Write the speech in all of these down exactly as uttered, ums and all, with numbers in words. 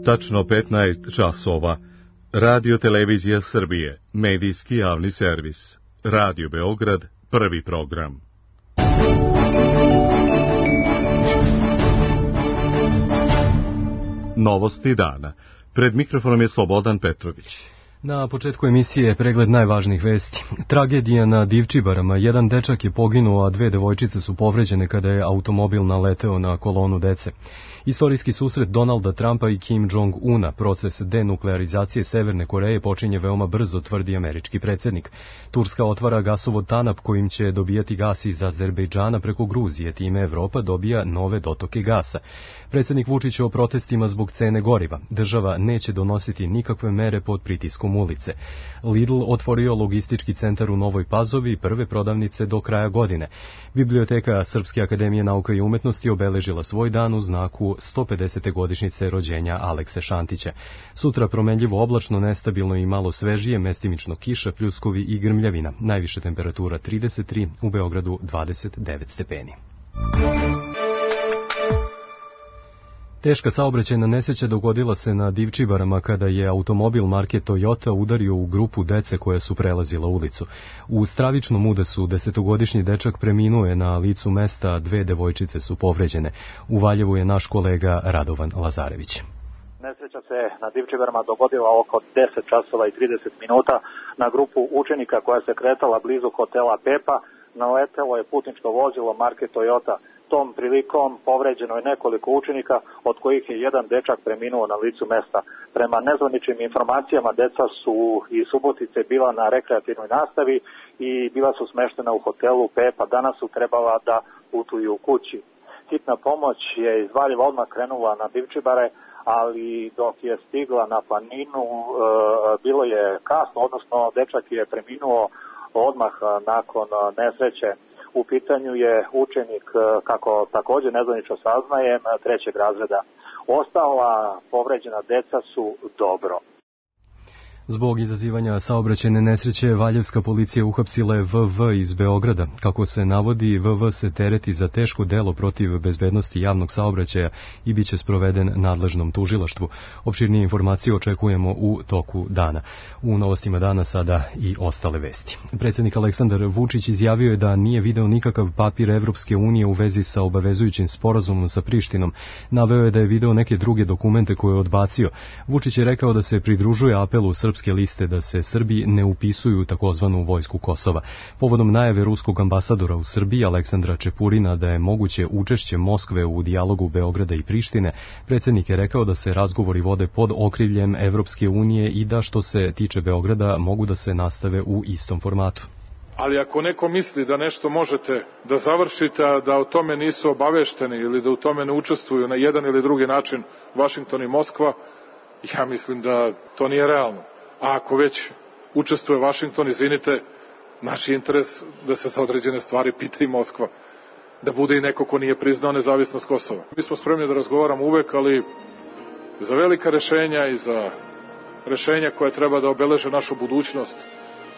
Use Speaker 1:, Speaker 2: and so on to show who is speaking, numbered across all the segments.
Speaker 1: Tačno petnaest časova. Radio Televizija Srbije, medijski javni servis. Radio Beograd, prvi program. Novosti dana. Pred mikrofonom je Slobodan Petrović.
Speaker 2: Na početku emisije pregled najvažnijih vesti. Tragedija na Divčibarama. Jedan dečak je poginuo, a dve devojčice su povređene kada je automobil naleteo na kolonu dece. Istorijski susret Donalda Trumpa i Kim Jong-una. Proces denuklearizacije Severne Koreje počinje veoma brzo, tvrdi američki predsjednik. Turska otvara gasovod Tanap kojim će dobijati gas iz Azerbejdžana preko Gruzije. Time Evropa dobija nove dotoke gasa. Predsjednik Vučić o protestima zbog cene goriva. Država neće donositi nikakve mere pod pritiskom ulice. Lidl otvorio logistički centar u Novoj Pazovi i prve prodavnice do kraja godine. Biblioteka Srpske akademije nauka i umetnosti obeležila svoj dan u znaku sto pedesete godišnjice rođenja Alekse Šantića. Sutra promenljivo oblačno, nestabilno i malo svežije, mestimično kiša, pljuskovi i grmljavina. Najviša temperatura trideset tri, u Beogradu dvadeset devet stepeni. Teška saobraćajna nesreća dogodila se na Divčibarama kada je automobil marke Toyota udario u grupu dece koja su prelazila ulicu. U stravičnom udesu desetogodišnji dečak preminuo je na licu mesta, a dve devojčice su povređene. U Valjevu je naš kolega Radovan Lazarević.
Speaker 3: Nesreća se na Divčibarama dogodila oko deset časova i trideset minuta na grupu učenika koja se kretala blizu hotela Pepa. Naletelo je putničko vozilo marke Toyota. Tom prilikom povređeno je nekoliko učenika, od kojih je jedan dečak preminuo na licu mesta. Prema nezvaničnim informacijama, deca su iz Subotice bila na rekreativnoj nastavi i bila su smeštena u hotelu Pepa. Danas su trebala da putuju kući. Hitna pomoć je iz Valjeva odmah krenula na Divčibare, ali dok je stigla na planinu, e, bilo je kasno, odnosno dečak je preminuo odmah nakon nesreće. U pitanju je učenik, kako također nezvanično saznajem, trećeg razreda. Ostala povređena deca su dobro.
Speaker 2: Zbog izazivanja saobraćajne nesreće, valjevska policija uhapsila je V V iz Beograda. Kako se navodi, V V se tereti za teško delo protiv bezbednosti javnog saobraćaja i bit će sproveden nadležnom tužilaštvu. Opširnije informacije očekujemo u toku dana. U novostima dana sada i ostale vesti. Predsjednik Aleksandar Vučić izjavio je da nije video nikakav papir Evropske unije u vezi sa obavezujućim sporazumom sa Prištinom. Naveo je da je video neke druge dokumente koje je odbacio. Vučić je rekao da se pridružuje apelu Srpske liste da se Srbi ne upisuju u takozvanu vojsku Kosova. Povodom najave ruskog ambasadora u Srbiji Aleksandra Čepurina da je moguće učešće Moskve u dijalogu Beograda i Prištine, predsjednik je rekao da se razgovori vode pod okriljem Evropske unije i da što se tiče Beograda mogu da se nastave u istom formatu.
Speaker 4: Ali ako neko misli da nešto možete da završite, a da o tome nisu obavešteni ili da u tome ne učestvuju na jedan ili drugi način Vašington i Moskva, ja mislim da to nije realno. A ako već učestvuje Vašington, izvinite, naš interes da se za određene stvari pita i Moskva, da bude i neko ko nije priznao nezavisnost Kosova. Mi smo spremni da razgovaramo uvek, ali za velika rešenja i za rešenja koja treba da obeleže našu budućnost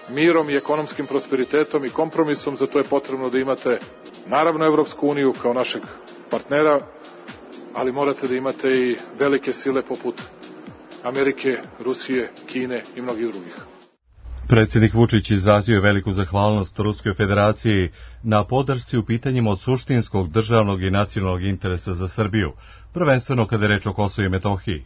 Speaker 4: mirom i ekonomskim prosperitetom i kompromisom, za to je potrebno da imate naravno Evropsku uniju kao našeg partnera, ali morate da imate i velike sile poput Amerike, Rusije, Kine i mnogih drugih.
Speaker 1: Predsjednik Vučić izrazio je veliku zahvalnost Ruskoj federaciji na podršci u pitanjima od suštinskog državnog i nacionalnog interesa za Srbiju, prvenstveno kada je reč o Kosovu i Metohiji.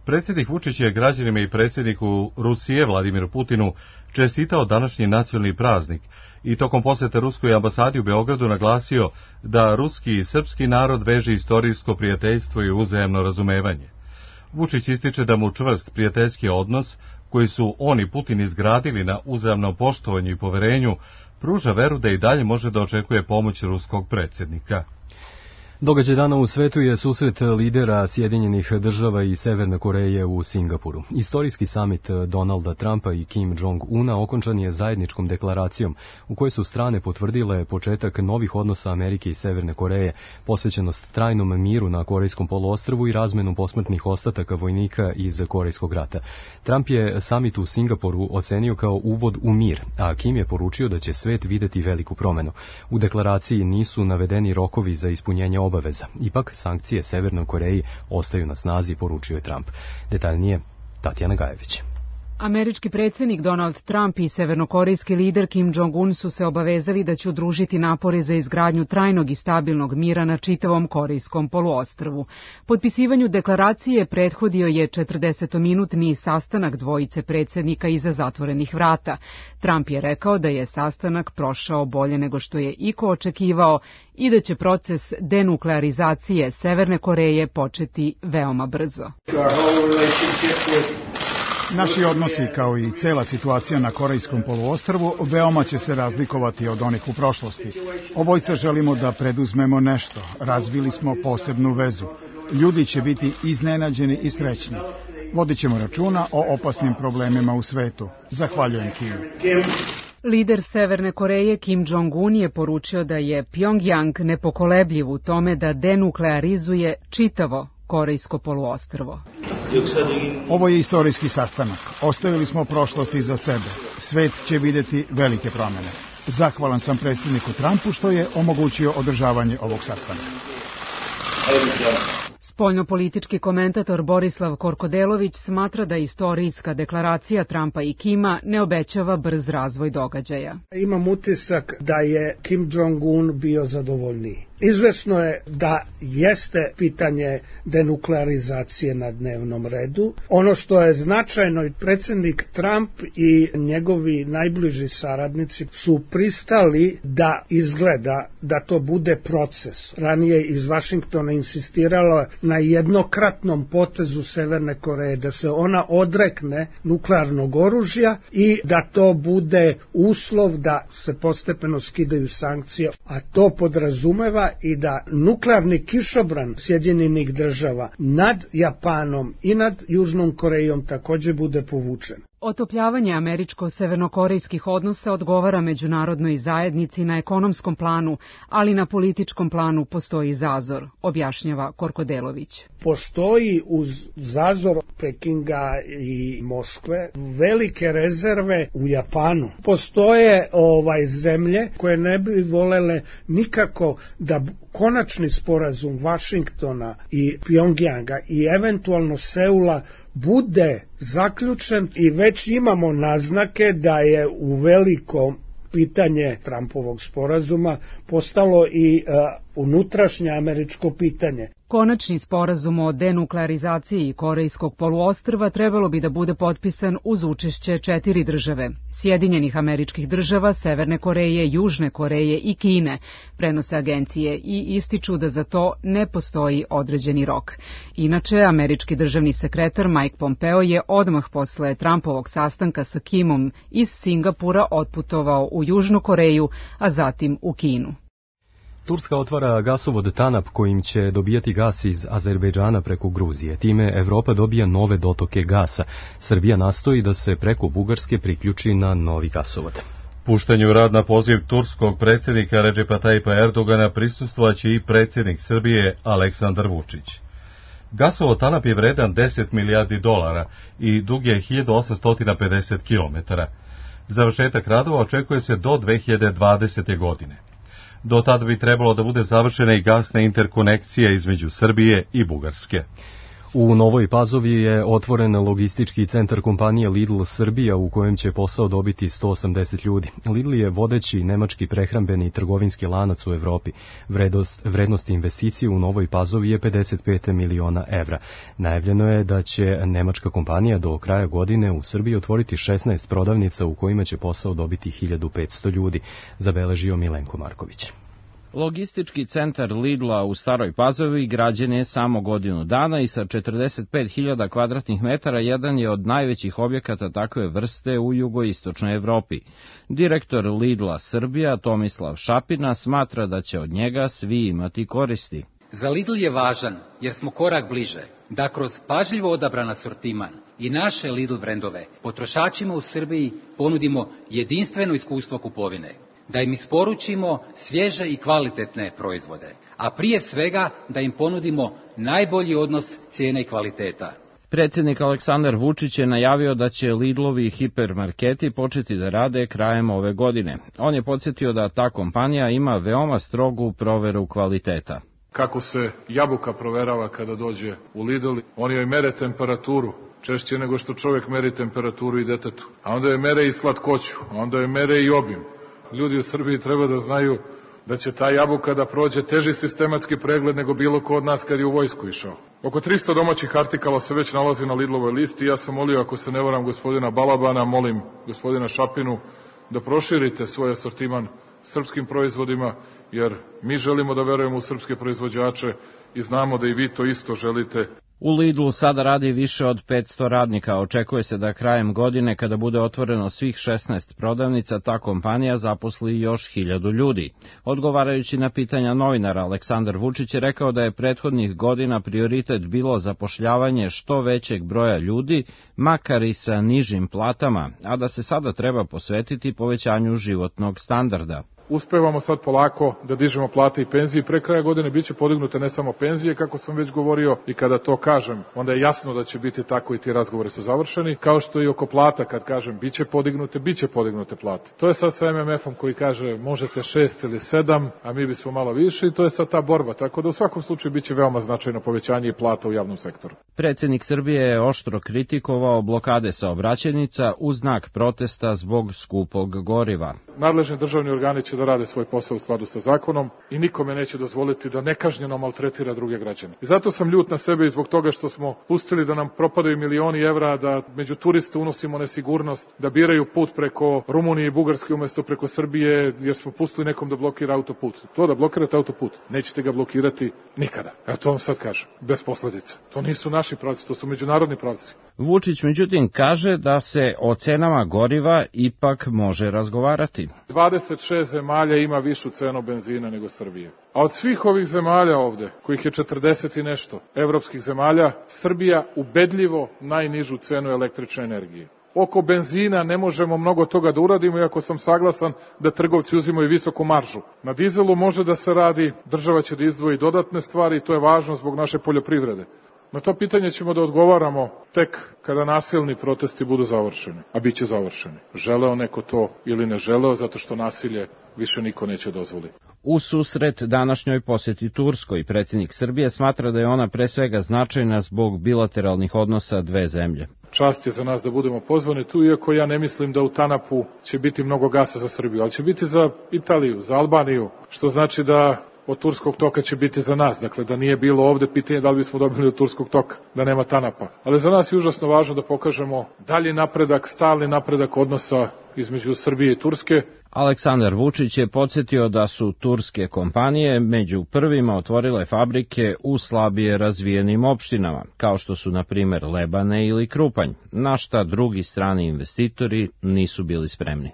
Speaker 1: Predsjednik Vučić je građanima i predsjedniku Rusije Vladimiru Putinu čestitao današnji nacionalni praznik i tokom posjete Ruskoj ambasadi u Beogradu naglasio da ruski i srpski narod veže istorijsko prijateljstvo i uzajamno razumevanje. Vučić ističe da mu čvrst prijateljski odnos, koji su on i Putin izgradili na uzajamnom poštovanju i poverenju, pruža veru da i dalje može da očekuje pomoć ruskog predsjednika.
Speaker 2: Događaj dana u svetu je susret lidera Sjedinjenih država i Severne Koreje u Singapuru. Istorijski samit Donalda Trumpa i Kim Jong-una okončan je zajedničkom deklaracijom u kojoj su strane potvrdile početak novih odnosa Amerike i Severne Koreje, posvećenost trajnom miru na Korejskom poluostrvu i razmenu posmrtnih ostataka vojnika iz Korejskog rata. Trump je samit u Singapuru ocenio kao uvod u mir, a Kim je poručio da će svet videti veliku promenu. U deklaraciji nisu navedeni rokovi za ispunjenje obaveza obaveza. Ipak, sankcije Severnoj Koreji ostaju na snazi, poručio je Trump. Detaljnije, Tatjana Gajević.
Speaker 5: Američki predsjednik Donald Trump i severnokorejski lider Kim Jong-un su se obavezali da će udružiti napore za izgradnju trajnog i stabilnog mira na čitavom korejskom poluostrvu. Potpisivanju deklaracije prethodio je četrdesetminutni sastanak dvojice predsjednika iza zatvorenih vrata. Trump je rekao da je sastanak prošao bolje nego što je iko očekivao i da će proces denuklearizacije Severne Koreje početi veoma brzo.
Speaker 6: Naši odnosi, kao i cela situacija na Korejskom poluostrvu, veoma će se razlikovati od onih u prošlosti. Obojca želimo da preduzmemo nešto. Razvili smo posebnu vezu. Ljudi će biti iznenađeni i srećni. Vodit ćemo računa o opasnim problemima u svetu. Zahvaljujem Kimu.
Speaker 5: Lider Severne Koreje Kim Jong-un je poručio da je Pjongjang nepokolebljiv u tome da denuklearizuje čitavo Korejsko poluostrvo.
Speaker 6: Ovo je istorijski sastanak. Ostavili smo prošlost iza sebe. Svet će vidjeti velike promjene. Zahvalan sam predsjedniku Trumpu što je omogućio održavanje ovog sastanka.
Speaker 5: Spoljnopolitički komentator Borislav Korkodelović smatra da istorijska deklaracija Trumpa i Kima ne obećava brz razvoj događaja.
Speaker 7: Imam utisak da je Kim Jong-un bio zadovoljniji. Izvesno je da jeste pitanje denuklearizacije na dnevnom redu. Ono što je značajno, predsjednik Trump i njegovi najbliži saradnici su pristali da izgleda da to bude proces. Ranije iz Vašingtona insistiralo na jednokratnom potezu Severne Koreje, da se ona odrekne nuklearnog oružja i da to bude uslov da se postepeno skidaju sankcije, a to podrazumeva i da nuklearni kišobran Sjedinjenih država nad Japanom i nad Južnom Korejom također bude povučen.
Speaker 5: Otopljavanje američko-severnokorejskih odnosa odgovara međunarodnoj zajednici na ekonomskom planu, ali na političkom planu postoji zazor, objašnjava Korkodelović.
Speaker 7: Postoji uz zazor Pekinga i Moskve velike rezerve u Japanu. Postoje ovaj zemlje koje ne bi volele nikako da konačni sporazum Vašingtona i Pjongjanga i eventualno Seula bude zaključen i već imamo naznake da je u velikom pitanje Trumpovog sporazuma postalo i uh, unutrašnje američko pitanje.
Speaker 5: Konačni sporazum o denuklearizaciji Korejskog poluostrva trebalo bi da bude potpisan uz učešće četiri države, Sjedinjenih Američkih Država, Severne Koreje, Južne Koreje i Kine, prenose agencije i ističu da za to ne postoji određeni rok. Inače, američki državni sekretar Mike Pompeo je odmah posle Trumpovog sastanka sa Kimom iz Singapura otputovao u Južnu Koreju, a zatim u Kinu.
Speaker 2: Turska otvara gasovod Tanap kojim će dobijati gas iz Azerbejdžana preko Gruzije. Time Evropa dobija nove dotoke gasa. Srbija nastoji da se preko Bugarske priključi na novi gasovod.
Speaker 1: Puštanju rad na poziv turskog predsjednika Redžepa Tajipa Erdogana prisustvovaće i predsjednik Srbije Aleksandar Vučić. Gasovod Tanap je vredan deset milijardi dolara i dug je hiljadu osamsto pedeset kilometara. Završetak radova očekuje se do dve hiljade dvadesete. godine. Do tada bi trebalo da bude završena i gasna interkonekcija između Srbije i Bugarske.
Speaker 2: U Novoj Pazovi je otvoren logistički centar kompanije Lidl Srbija u kojem će posao dobiti sto osamdeset ljudi. Lidl je vodeći nemački prehrambeni trgovinski lanac u Evropi. Vrednost, vrednost investicije u Novoj Pazovi je pedeset pet miliona evra. Najavljeno je da će nemačka kompanija do kraja godine u Srbiji otvoriti šesnaest prodavnica u kojima će posao dobiti hiljadu petsto ljudi, zabeležio Milenko Marković.
Speaker 8: Logistički centar Lidla u Staroj Pazovi građen je samo godinu dana i sa četrdeset pet hiljada kvadratnih metara jedan je od najvećih objekata takve vrste u jugoistočnoj Evropi. Direktor Lidla Srbija Tomislav Šapina smatra da će od njega svi imati koristi.
Speaker 9: Za Lidl je važan jer smo korak bliže da kroz pažljivo odabran asortiman i naše Lidl brendove potrošačima u Srbiji ponudimo jedinstveno iskustvo kupovine. Da im isporučimo svježe i kvalitetne proizvode, a prije svega da im ponudimo najbolji odnos cijene i kvaliteta.
Speaker 8: Predsjednik Aleksandar Vučić je najavio da će Lidlovi hipermarketi početi da rade krajem ove godine. On je podsjetio da ta kompanija ima veoma strogu proveru kvaliteta.
Speaker 4: kako se jabuka proverava kada dođe u Lidl. Oni joj mere temperaturu, češće nego što čovjek meri temperaturu i detetu. A onda joj mere i slatkoću, a onda joj mere i obim. Ljudi u Srbiji treba da znaju da će ta jabuka da prođe teži sistematski pregled nego bilo ko od nas kad je u vojsku išao. Oko tristo domaćih artikala se već nalazi na Lidlovoj listi. Ja sam molio, ako se ne varam, gospodina Balabana, molim gospodina Šapinu da proširite svoj asortiman srpskim proizvodima, jer mi želimo da verujemo u srpske proizvođače i znamo da i vi to isto želite.
Speaker 8: U Lidlu sada radi više od petsto radnika. Očekuje se da krajem godine, kada bude otvoreno svih šesnaest prodavnica, ta kompanija zaposli još hiljadu ljudi. Odgovarajući na pitanja novinara, Aleksandar Vučić je rekao da je prethodnih godina prioritet bilo zapošljavanje što većeg broja ljudi, makar i sa nižim platama, a da se sada treba posvetiti povećanju životnog standarda.
Speaker 4: Uspevamo sad polako da dižemo plate i penzije i pre kraja godine biće podignute ne samo penzije, kako sam već govorio, i kada to kažem, onda je jasno da će biti tako i ti razgovori su završeni, kao što i oko plata, kad kažem biće podignute, biće podignute plate. To je sad sa em em efom koji kaže možete šest ili sedam, a mi bismo malo više, i to je sad ta borba, tako da u svakom slučaju biće veoma značajno povećanje i plata u javnom sektoru.
Speaker 8: Predsjednik Srbije je oštro kritikovao blokade saobraćajnica u znak protesta zbog skupog goriva.
Speaker 4: Nadležni državni organi će da rade svoj posao u skladu sa zakonom i nikome neće dozvoliti da nekažnjeno maltretira druge građane. I zato sam ljut na sebe i zbog toga što smo pustili da nam propadaju milioni evra, da među turiste unosimo nesigurnost, da biraju put preko Rumunije i Bugarske umesto preko Srbije, jer smo pustili nekom da blokira autoput. To da blokirate autoput, nećete ga blokirati nikada. Ja to vam sad kažem, bez posledica. To nisu naši pravci, to su međunarodni pravci.
Speaker 8: Vučić međutim kaže da se o cenama goriva ipak može razgovarati.
Speaker 4: dvadeset šest zemalja ima višu cenu benzina nego Srbije. A od svih ovih zemalja ovde, kojih je četrdeset i nešto evropskih zemalja, Srbija ubedljivo najnižu cenu električne energije. Oko benzina ne možemo mnogo toga da uradimo, iako sam saglasan da trgovci uzimaju visoku maržu. Na dizelu može da se radi, država će da izdvoji dodatne stvari i to je važno zbog naše poljoprivrede. Na to pitanje ćemo da odgovaramo tek kada nasilni protesti budu završeni, a bit će završeni. Želeo neko to ili ne želeo, zato što nasilje više niko neće dozvoliti.
Speaker 8: U susret današnjoj posjeti Turskoj, predsjednik Srbije smatra da je ona pre svega značajna zbog bilateralnih odnosa dve zemlje.
Speaker 4: Čast je za nas da budemo pozvani tu, iako ja ne mislim da u Tanapu će biti mnogo gasa za Srbiju, ali će biti za Italiju, za Albaniju, što znači da od Turskog toka će biti za nas. Dakle, da nije bilo ovde, pitanje da li bismo dobili od Turskog toka, da nema Tanapa. Ali za nas je užasno važno da pokažemo dalji napredak, stalni napredak odnosa između Srbije i Turske.
Speaker 8: Aleksandar Vučić je podsjetio da su turske kompanije među prvima otvorile fabrike u slabije razvijenim opštinama, kao što su na primer Lebane ili Krupanj, na šta drugi strani investitori nisu bili spremni.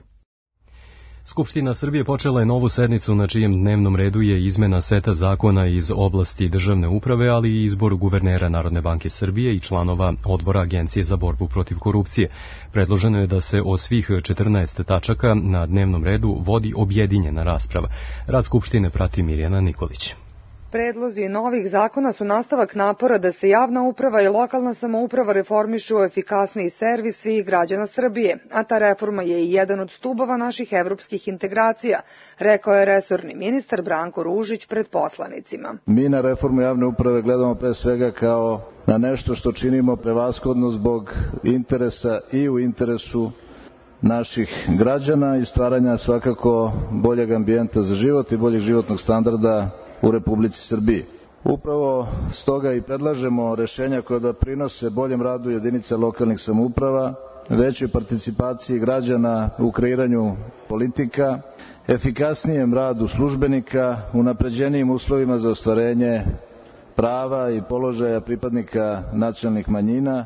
Speaker 2: Skupština Srbije počela je novu sednicu na čijem dnevnom redu je izmena seta zakona iz oblasti državne uprave, ali i izbor guvernera Narodne banke Srbije i članova odbora Agencije za borbu protiv korupcije. Predloženo je da se o svih četrnaest tačaka na dnevnom redu vodi objedinjena rasprava. Rad Skupštine prati Mirjana Nikolić.
Speaker 10: Predlozi novih zakona su nastavak napora da se javna uprava i lokalna samouprava reformišu u efikasniji servis svih građana Srbije, a ta reforma je i jedan od stubova naših evropskih integracija, rekao je resorni ministar Branko Ružić pred poslanicima.
Speaker 11: Mi na reformu javne uprave gledamo pre svega kao na nešto što činimo prevashodno zbog interesa i u interesu naših građana i stvaranja svakako boljeg ambijenta za život i boljeg životnog standarda u Republici Srbiji. Upravo stoga i predlažemo rešenja koja doprinose boljem radu jedinica lokalnih samouprava, većoj participaciji građana u kreiranju politika, efikasnijem radu službenika, unapređenijim uslovima za ostvarenje prava i položaja pripadnika nacionalnih manjina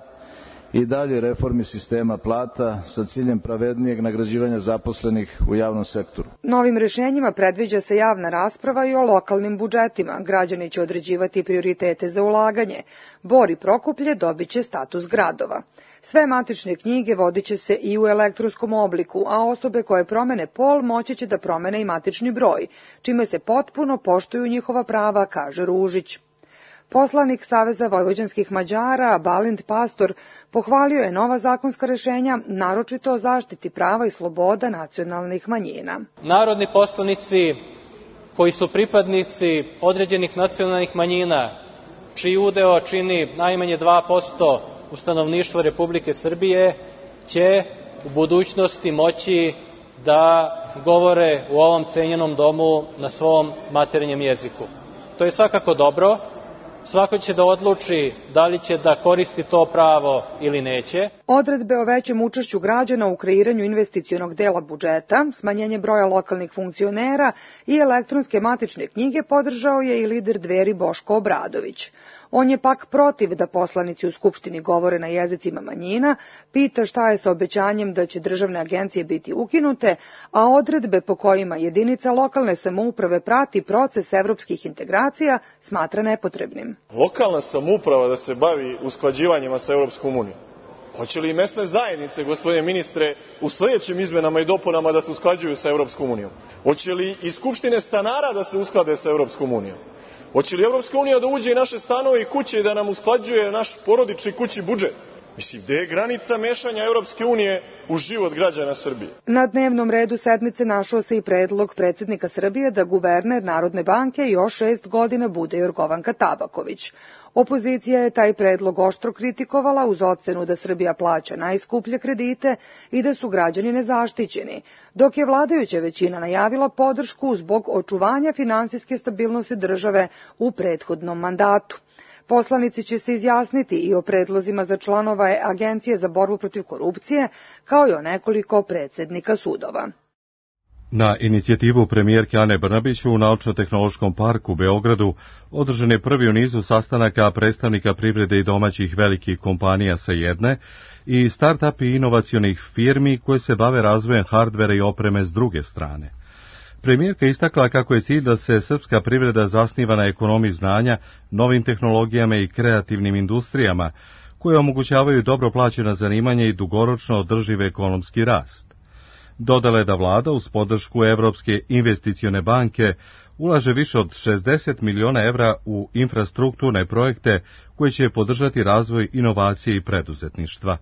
Speaker 11: i dalje reformi sistema plata sa ciljem pravednijeg nagrađivanja zaposlenih u javnom sektoru.
Speaker 10: Novim rešenjima predviđa se javna rasprava i o lokalnim budžetima. Građani će određivati prioritete za ulaganje. Bor i Prokuplje dobit će status gradova. Sve matične knjige vodit će se i u elektronskom obliku, a osobe koje promene pol moći će da promene i matični broj, čime se potpuno poštuju njihova prava, kaže Ružić. Poslanik Saveza vojvođanskih Mađara, Balint Pastor, pohvalio je nova zakonska rešenja, naročito o zaštiti prava i sloboda nacionalnih manjina.
Speaker 12: Narodni poslanici koji su pripadnici određenih nacionalnih manjina, čiji udeo čini najmanje dva posto u stanovništvu Republike Srbije, će u budućnosti moći da govore u ovom cenjenom domu na svom maternjem jeziku. To je svakako dobro. Svako će da odluči da li će da koristi to pravo ili neće.
Speaker 10: Odredbe o većem učešću građana u kreiranju investicionog dela budžeta, smanjenje broja lokalnih funkcionera i elektronske matične knjige podržao je i lider Dveri Boško Obradović. On je pak protiv da poslanici u Skupštini govore na jezicima manjina, pita šta je sa obećanjem da će državne agencije biti ukinute, a odredbe po kojima jedinica lokalne samouprave prati proces evropskih integracija smatra nepotrebnim.
Speaker 13: Lokalna samouprava da se bavi usklađivanjima sa Evropskom unijom. Hoće li i mesne zajednice, gospodine ministre, u sljedećim izmenama i dopunama da se usklađuju sa Evropskom unijom? Hoće li i skupštine stanara da se usklade sa Evropskom unijom? Hoće li Evropska unija da uđe i naše stanove i kuće i da nam usklađuje naš porodični kućni budžet? Mislim, gde je granica mešanja Evropske unije u život građana Srbije?
Speaker 10: Na dnevnom redu sednice našao se i predlog predsjednika Srbije da guverner Narodne banke još šest godina bude Jorgovanka Tabaković. Opozicija je taj predlog oštro kritikovala uz ocenu da Srbija plaća najskuplje kredite i da su građani nezaštićeni, dok je vladajuća većina najavila podršku zbog očuvanja finansijske stabilnosti države u prethodnom mandatu. Poslanici će se izjasniti i o predlozima za članova Agencije za borbu protiv korupcije, kao i o nekoliko predsjednika sudova.
Speaker 1: Na inicijativu premijerke Ane Brnabić u Naučno-tehnološkom parku u Beogradu održan je prvi u nizu sastanaka predstavnika privrede i domaćih velikih kompanija sa jedne i start-up i inovacionih firmi koje se bave razvojem hardvera i opreme s druge strane. Premijerka istakla kako je cilj da se srpska privreda zasniva na ekonomiji znanja, novim tehnologijama i kreativnim industrijama koje omogućavaju dobro plaćena zanimanja i dugoročno održiv ekonomski rast. Dodala je da vlada uz podršku Evropske investicione banke ulaže više od šezdeset miliona evra u infrastrukturne projekte koje će podržati razvoj inovacije i preduzetništva.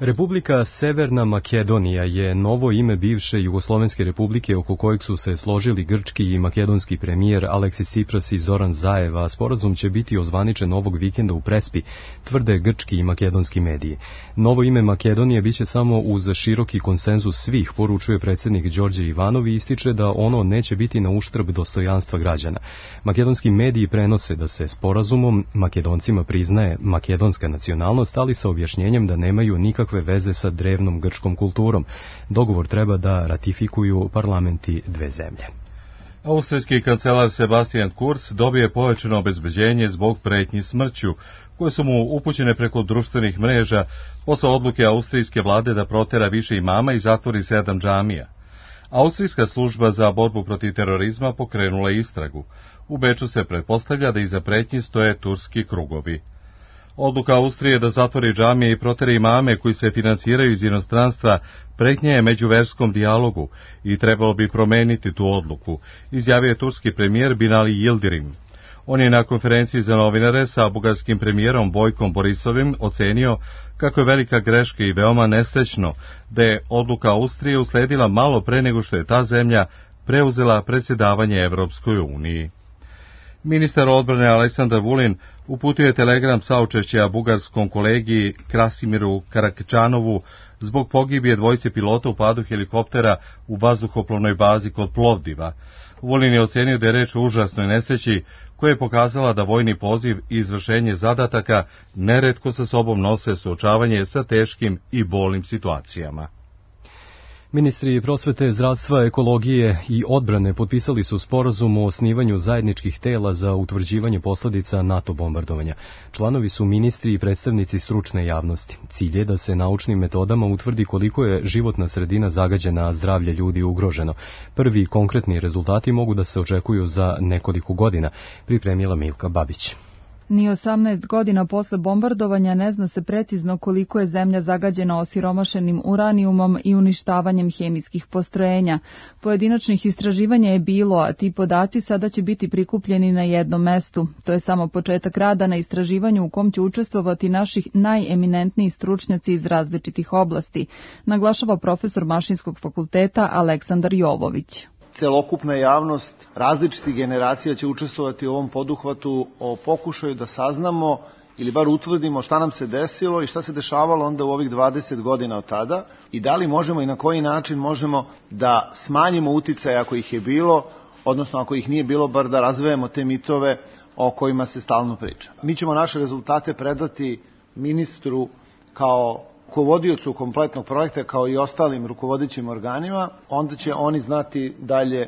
Speaker 2: Republika Severna Makedonija je novo ime bivše Jugoslovenske republike oko kojeg su se složili grčki i makedonski premijer Aleksis Tsipras i Zoran Zaev, a sporazum će biti ozvaničen ovog vikenda u Prespi, tvrde grčki i makedonski mediji. Novo ime Makedonije biće samo uz široki konsenzus svih, poručuje predsjednik Đorđe Ivanov i ističe da ono neće biti na uštrb dostojanstva građana. Makedonski mediji prenose da se sporazumom Makedoncima priznaje makedonska nacionalnost, ali sa objašnjenjem da nemaju nikakve veze sa drevnom grčkom kulturom. Dogovor treba da ratifikuju parlamenti dve zemlje.
Speaker 1: Austrijski kancelar Sebastian Kurz dobije povećano obezbeđenje zbog pretnji smrću, koje su mu upućene preko društvenih mreža posle odluke austrijske vlade da protera više imama i zatvori sedam džamija. Austrijska služba za borbu protiv terorizma pokrenula je istragu. U Beču se pretpostavlja da iza pretnji stoje turski krugovi. Odluka Austrije da zatvori džamije i proteri imame koji se finansiraju iz inostranstva pretnja je međuverskom dijalogu i trebalo bi promeniti tu odluku, izjavio je turski premijer Binali Yildirim. On je na konferenciji za novinare sa bugarskim premijerom Bojkom Borisovim ocenio kako je velika greška i veoma nesrećno da je odluka Austrije usledila malo pre nego što je ta zemlja preuzela predsjedavanje Evropskoj uniji. Ministar odbrane Aleksandar Vulin uputio je telegram saučešća bugarskom kolegi Krasimiru Karakčanovu zbog pogibije dvojice pilota u padu helikoptera u vazduhoplovnoj bazi kod Plovdiva. Vulin je ocenio da je reč o užasnoj nesreći koja je pokazala da vojni poziv i izvršenje zadataka neretko sa sobom nose suočavanje sa teškim i bolnim situacijama.
Speaker 2: Ministri prosvete, zdravstva, ekologije i odbrane potpisali su sporazum o osnivanju zajedničkih tela za utvrđivanje posledica NATO bombardovanja. Članovi su ministri i predstavnici stručne javnosti. Cilj je da se naučnim metodama utvrdi koliko je životna sredina zagađena, a zdravlje ljudi ugroženo. Prvi konkretni rezultati mogu da se očekuju za nekoliko godina, pripremila Milka Babić.
Speaker 14: Ni osamnaest godina posle bombardovanja ne zna se precizno koliko je zemlja zagađena osiromašenim uranijumom i uništavanjem hemijskih postrojenja. Pojedinačnih istraživanja je bilo, a ti podaci sada će biti prikupljeni na jednom mestu. To je samo početak rada na istraživanju u kom će učestvovati naših najeminentniji stručnjaci iz različitih oblasti, naglašava profesor Mašinskog fakulteta Aleksandar Jovović.
Speaker 15: Celokupna javnost različitih generacija će učestvovati u ovom poduhvatu o pokušaju da saznamo ili bar utvrdimo šta nam se desilo i šta se dešavalo onda u ovih dvadeset godina od tada i da li možemo i na koji način možemo da smanjimo uticaje ako ih je bilo, odnosno ako ih nije bilo, bar da razvijemo te mitove o kojima se stalno priča. Mi ćemo naše rezultate predati ministru kao rukovodiocu kompletnog projekta, kao i ostalim rukovodećim organima, onda će oni znati dalje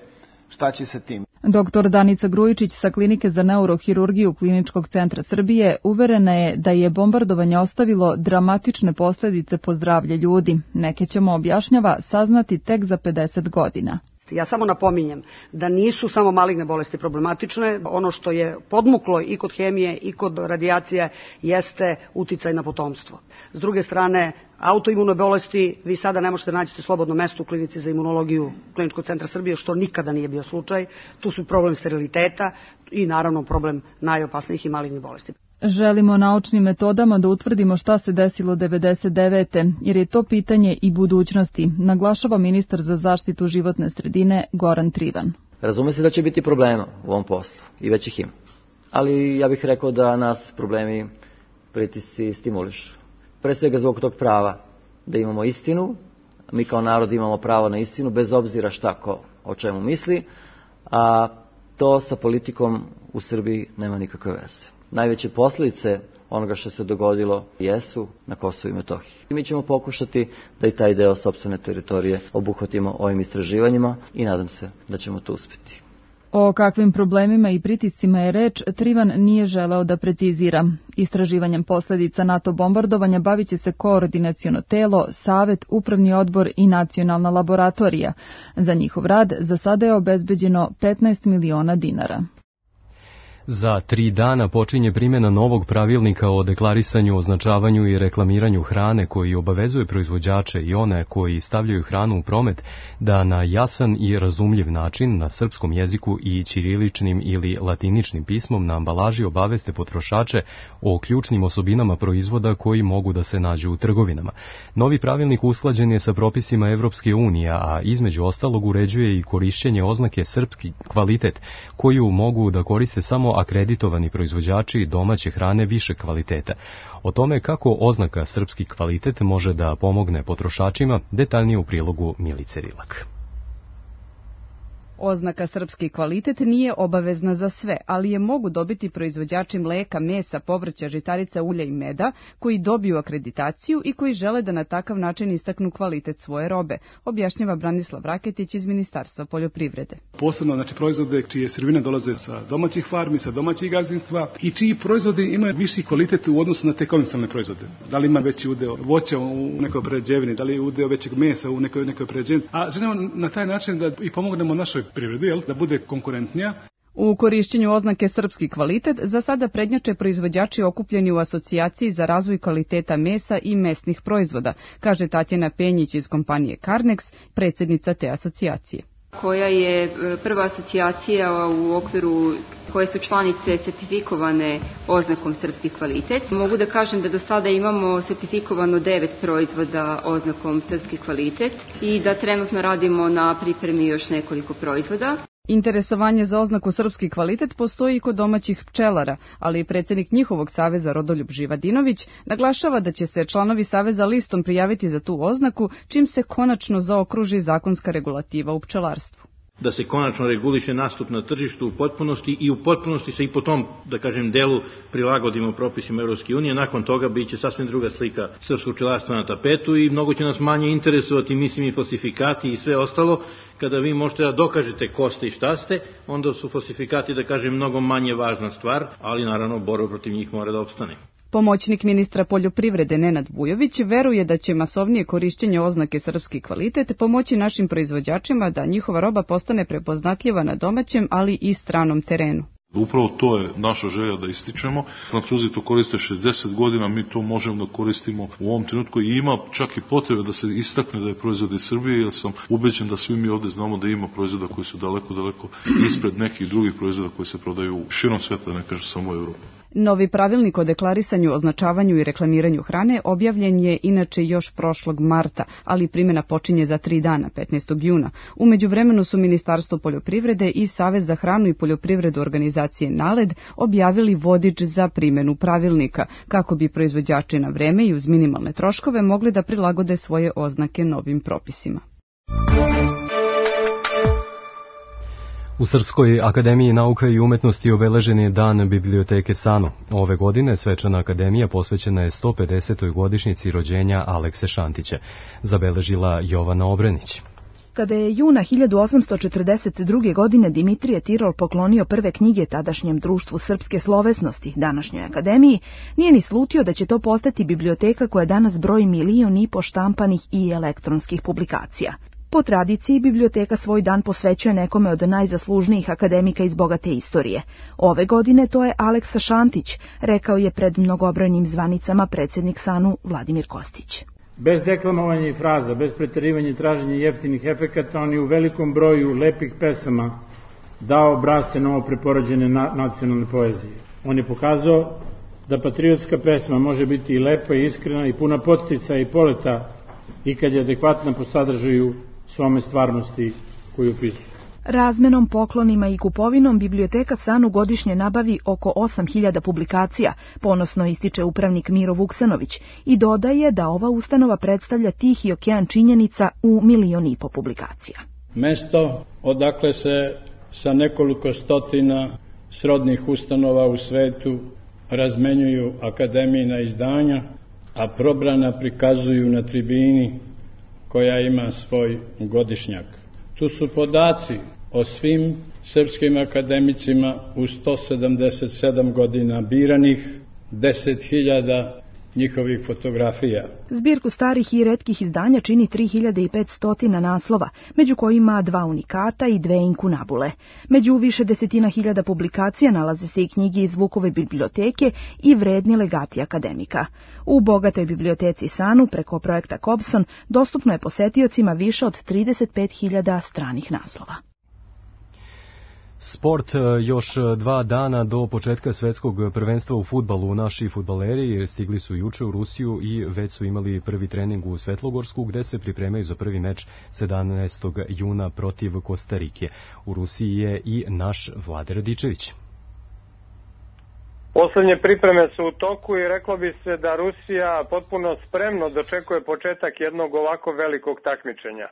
Speaker 15: šta će sa tim.
Speaker 14: Doktor Danica Grujičić sa Klinike za neurohirurgiju Kliničkog centra Srbije uverena je da je bombardovanje ostavilo dramatične posledice po zdravlje ljudi. Neke ćemo, objašnjava, saznati tek za pedeset godina.
Speaker 16: Ja samo napominjem da nisu samo maligne bolesti problematične, ono što je podmuklo i kod hemije i kod radijacije jeste uticaj na potomstvo. S druge strane, autoimune bolesti, vi sada ne možete naći slobodno mesto u Klinici za imunologiju Kliničkog centra Srbije, što nikada nije bio slučaj. Tu su problem steriliteta i naravno problem najopasnijih i malignih bolesti.
Speaker 14: Želimo naučnim metodama da utvrdimo šta se desilo devedeset devete jer je to pitanje i budućnosti, naglašava ministar za zaštitu životne sredine Goran Trivan.
Speaker 17: Razume se da će biti problema u ovom poslu i već ih ima, ali ja bih rekao da nas problemi, pritisci stimulišu. Pre svega zbog tog prava da imamo istinu, mi kao narod imamo pravo na istinu bez obzira šta ko o čemu misli, a to sa politikom u Srbiji nema nikakve veze. Najveće posljedice onoga što se dogodilo jesu na Kosovu i Metohiji. I mi ćemo pokušati da i taj deo sopstvene teritorije obuhvatimo ovim istraživanjima i nadam se da ćemo to uspjeti.
Speaker 14: O kakvim problemima i pritiscima je reč, Trivan nije želeo da precizira. Istraživanjem posljedica NATO bombardovanja bavit će se koordinaciono telo, savet, upravni odbor i nacionalna laboratorija. Za njihov rad za sada je obezbeđeno petnaest miliona dinara.
Speaker 2: Za tri dana počinje primjena novog pravilnika o deklarisanju, označavanju i reklamiranju hrane koji obavezuje proizvođače i one koji stavljaju hranu u promet da na jasan i razumljiv način na srpskom jeziku i ćiriličnim ili latiničnim pismom na ambalaži obaveste potrošače o ključnim osobinama proizvoda koji mogu da se nađu u trgovinama. Novi pravilnik usklađen je sa propisima Evropske unije, a između ostalog uređuje i korišćenje oznake srpski kvalitet koju mogu da koriste samo akreditovani proizvođači domaće hrane više kvaliteta. O tome kako oznaka srpski kvalitet može da pomogne potrošačima, detaljnije u prilogu Milice Rilak.
Speaker 5: Oznaka srpski kvalitet nije obavezna za sve, ali je mogu dobiti proizvođači mleka, mesa, povrća, žitarica, ulja i meda koji dobiju akreditaciju i koji žele da na takav način istaknu kvalitet svoje robe, objašnjava Branislav Raketić iz Ministarstva poljoprivrede.
Speaker 18: Posebno znači proizvode čije sirovine dolaze sa domaćih farmi, sa domaćih gazdinstva i čiji proizvodi imaju viši kvalitet u odnosu na te konvencionalne proizvode. Da li ima veći udeo voća u nekoj prerađevini, da li je udeo većeg mesa u nekoj nekoj prerađevini, a želimo na taj način da i pomognemo našoj privredi, jel, da bude konkurentnija.
Speaker 5: U korišćenju oznake srpski kvalitet za sada prednjače proizvođači okupljeni u asocijaciji za razvoj kvaliteta mesa i mesnih proizvoda, kaže Tatjana Penjić iz kompanije Carnex, predsjednica te asocijacije.
Speaker 19: Koja je prva asocijacija u okviru koje su članice sertifikovane oznakom srpski kvalitet. Mogu da kažem da do sada imamo sertifikovano devet proizvoda oznakom srpski kvalitet i da trenutno radimo na pripremi još nekoliko proizvoda.
Speaker 5: Interesovanje za oznaku srpski kvalitet postoji i kod domaćih pčelara, ali i predsjednik njihovog saveza Rodoljub Živadinović naglašava da će se članovi saveza listom prijaviti za tu oznaku čim se konačno zaokruži zakonska regulativa u pčelarstvu.
Speaker 20: Da se konačno reguliše nastup na tržištu u potpunosti i u potpunosti se i po tom, da kažem, delu prilagodimo propisima Evropske unije. Nakon toga bit će sasvim druga slika srpskog pčelarstva na tapetu i mnogo će nas manje interesovati, mislim, i falsifikati i sve ostalo. Kada vi možete da dokažete ko ste i šta ste, onda su falsifikati, da kažem, mnogo manje važna stvar, ali naravno borba protiv njih mora da opstane.
Speaker 5: Pomoćnik ministra poljoprivrede Nenad Vujović veruje da će masovnije korišćenje oznake srpski kvalitet pomoći našim proizvođačima da njihova roba postane prepoznatljiva na domaćem, ali i stranom terenu.
Speaker 21: Upravo to je naša želja da ističemo. Francuzi to koriste šezdeset godina, mi to možemo da koristimo u ovom trenutku i ima čak i potrebe da se istakne da je proizvod iz Srbije, jer sam ubeđen da svi mi ovde znamo da ima proizvoda koji su daleko, daleko ispred nekih drugih proizvoda koji se prodaju širom sveta, ne kažem samo u Evropi.
Speaker 22: Novi pravilnik o deklarisanju, označavanju i reklamiranju hrane objavljen je inače još prošlog marta, ali primjena počinje za tri dana, petnaestog juna. U međuvremenu su Ministarstvo poljoprivrede i Savez za hranu i poljoprivredu organizacije NALED objavili vodič za primjenu pravilnika, kako bi proizvođači na vreme i uz minimalne troškove mogli da prilagode svoje oznake novim propisima.
Speaker 2: U Srpskoj akademiji nauka i umetnosti obeležen je dan biblioteke SANU. Ove godine svečana akademija posvećena je sto pedesetoj godišnjici rođenja Alekse Šantića, zabeležila Jovana Obrenić.
Speaker 23: Kada je juna hiljadu osamsto četrdeset druge. godine Dimitrije Tirol poklonio prve knjige tadašnjem društvu srpske slovesnosti, današnjoj akademiji, nije ni slutio da će to postati biblioteka koja danas broji milion i po štampanih i elektronskih publikacija. Po tradiciji, biblioteka svoj dan posvećuje nekome od najzaslužnijih akademika iz bogate istorije. Ove godine to je Aleksa Šantić, rekao je pred mnogobrojnim zvanicama predsjednik SANU Vladimir Kostić.
Speaker 24: Bez deklamovanja i fraza, bez preterivanja i traženja jeftinih efekata, on je u velikom broju lepih pesama dao obrazce novo preporođene na, nacionalne poezije. On je pokazao da patriotska pesma može biti i lepa i iskrena i puna podstica i poleta i kad je adekvatna po sadržaju svome stvarnosti koju upisuje.
Speaker 23: Razmenom, poklonima i kupovinom biblioteka SANU godišnje nabavi oko osam hiljada publikacija, ponosno ističe upravnik Miro Vuksanović i dodaje da ova ustanova predstavlja tihi okean činjenica u milion i po publikacija.
Speaker 24: Mesto odakle se sa nekoliko stotina srodnih ustanova u svetu razmenjuju akademijina izdanja, a probrana prikazuju na tribini koja ima svoj godišnjak. Tu su podaci o svim srpskim akademicima u sto sedamdeset sedam godina biranih, deset hiljada njihovih fotografija.
Speaker 23: Zbirku starih i retkih izdanja čini tri hiljade petsto naslova, među kojima dva unikata i dve inkunabule. Među više desetina hiljada publikacija nalaze se i knjige iz Vukove biblioteke i vredni legati akademika. U bogatoj biblioteci SANU preko projekta Kobson dostupno je posetiocima više od trideset pet hiljada stranih naslova.
Speaker 2: Sport, još dva dana do početka svetskog prvenstva u fudbalu. Naši fudbaleri stigli su juče u Rusiju i već su imali prvi trening u Svetlogorsku, gde se pripremaju za prvi meč sedamnaestog juna protiv Kostarike. U Rusiji je i naš Vlade Radičević.
Speaker 25: Poslednje pripreme su u toku i reklo bi se da Rusija potpuno spremno dočekuje početak jednog ovako velikog takmičenja.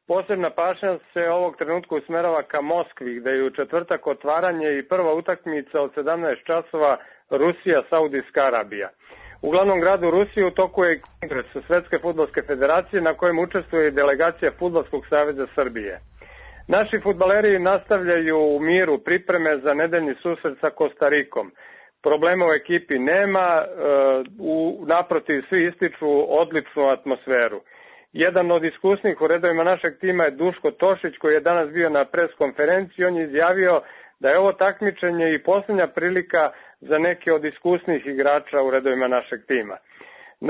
Speaker 25: Posebna pažnja se ovog trenutka usmerava ka Moskvi, gde je u četvrtak otvaranje i prva utakmica od sedamnaest časova Rusija-Saudijska Arabija. U glavnom gradu Rusije u toku je kongres Svetske fudbalske federacije na kojem učestvuje i delegacija Fudbalskog saveza Srbije. Naši fudbaleri nastavljaju u miru pripreme za nedeljni susret sa Kostarikom. Problema u ekipi nema, u, naprotiv svi ističu odličnu atmosferu. Jedan od iskusnih u redovima našeg tima je Duško Tošić, koji je danas bio na pres konferenciji. On je izjavio da je ovo takmičenje i posljednja prilika za neke od iskusnih igrača u redovima našeg tima.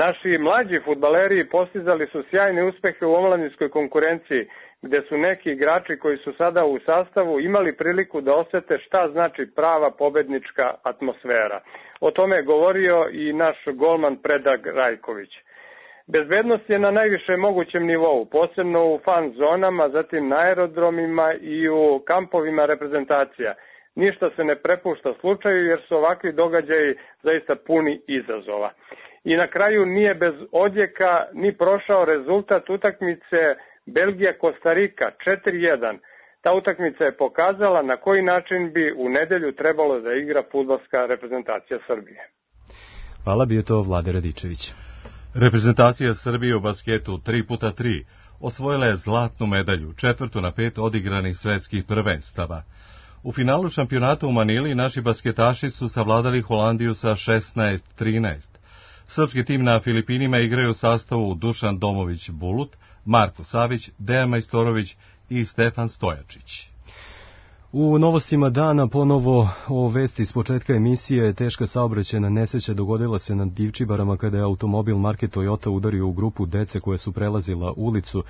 Speaker 25: Naši mlađi fudbaleri postizali su sjajne uspehe u omladinskoj konkurenciji, gde su neki igrači koji su sada u sastavu imali priliku da osete šta znači prava pobednička atmosfera. O tome je govorio i naš golman Predrag Rajković. Bezbednost je na najvišem mogućem nivou, posebno u fan zonama, zatim na aerodromima i u kampovima reprezentacija. Ništa se ne prepušta slučaju jer su ovakvi događaji zaista puni izazova. I na kraju nije bez odjeka ni prošao rezultat utakmice Belgija-Kostarika četiri jedan. Ta utakmica je pokazala na koji način bi u nedelju trebalo da igra fudbalska reprezentacija Srbije.
Speaker 2: Hvala, bio to Vlade Radičević.
Speaker 1: Reprezentacija Srbije u basketu tri puta tri osvojila je zlatnu medalju, četvrtu na pet odigranih svetskih prvenstava. U finalu šampionata u Manili naši basketaši su savladali Holandiju sa šesnaest trinaest. Srpski tim na Filipinima igraju u sastavu Dušan Domović-Bulut, Marko Savić, Dejan Majstorović i Stefan Stojačić.
Speaker 2: U novostima dana ponovo o vesti iz početka emisije. Teška saobraćajna nesreća dogodila se na Divčibarama kada je automobil marke Toyota udario u grupu dece koje su prelazila ulicu.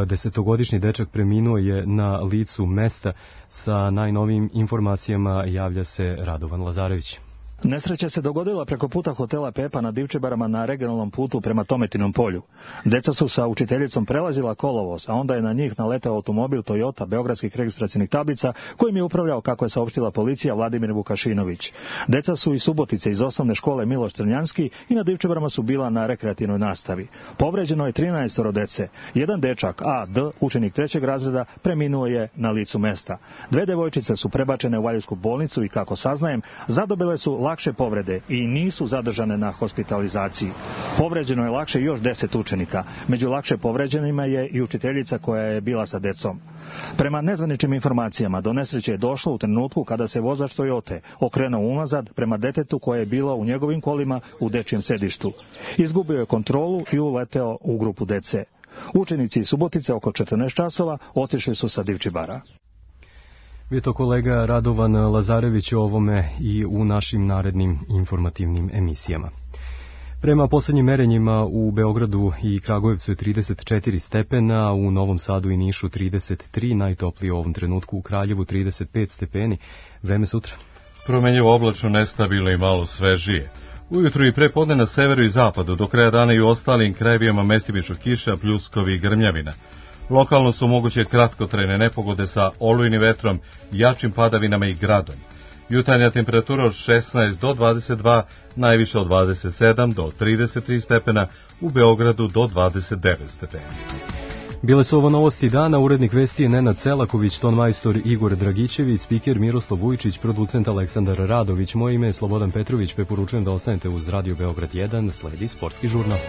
Speaker 2: Desetogodišnji dečak preminuo je na licu mesta. Sa najnovijim informacijama javlja se Radovan Lazarević.
Speaker 3: Nesreća se dogodila preko puta hotela Pepa na Divčibarama na regionalnom putu prema Tometinom polju. Deca su sa učiteljicom prelazila kolovoz, a onda je na njih naletao automobil Toyota beogradskih registracionih tablica kojim je upravljao, kako je saopštila policija, Vladimir Vukašinović. Deca su iz Subotice iz osnovne škole Miloš Crnjanski i na Divčibarama su bila na rekreativnoj nastavi. Povređeno je trinaestoro dece. Jedan dečak, A D, učenik trećeg razreda, preminuo je na licu mesta. Dve devojčice su prebačene u Valjevsku bolnicu i, kako saznajem, zadobile su lakše povrede i nisu zadržane na hospitalizaciji. Povređeno je lakše još deset učenika. Među lakše povređenima je i učiteljica koja je bila sa decom. Prema nezvaničnim informacijama, do nesreće je došlo u trenutku kada se vozač Toyote okrenuo unazad prema detetu koje je bilo u njegovim kolima u dečijem sedištu. Izgubio je kontrolu i uleteo u grupu dece. Učenici iz Subotice oko četrnaest časova otišli su sa Divčibara.
Speaker 2: Vito kolega Radovan Lazarević o ovome i u našim narednim informativnim emisijama. Prema poslednjim merenjima u Beogradu i Kragujevcu je trideset četiri stepena, u Novom Sadu i Nišu trideset tri, najtoplije u ovom trenutku u Kraljevu trideset pet stepeni. Vreme sutra.
Speaker 1: Promenjivo oblačno, nestabilno i malo svežije. Ujutru i prepodne na severu i zapadu, do kraja dana i u ostalim krajevima mestimično kiša, pljuskovi i grmljavina. Lokalno su moguće kratkotrajne nepogode sa olujnim vetrom, jačim padavinama i gradom. Jutarnja temperatura od šesnaest do dvadeset dva, najviše od dvadeset sedam do trideset tri stepena, u Beogradu do dvadeset devet stepena.
Speaker 2: Bile su ovo novosti dana, urednik vesti je Nenad Celaković, ton majstor Igor Dragićević, spiker Miroslav Vujčić, producent Aleksandar Radović. Moje ime je Slobodan Petrović, preporučujem da ostanete uz Radio Beograd jedan, sledi sportski žurnal.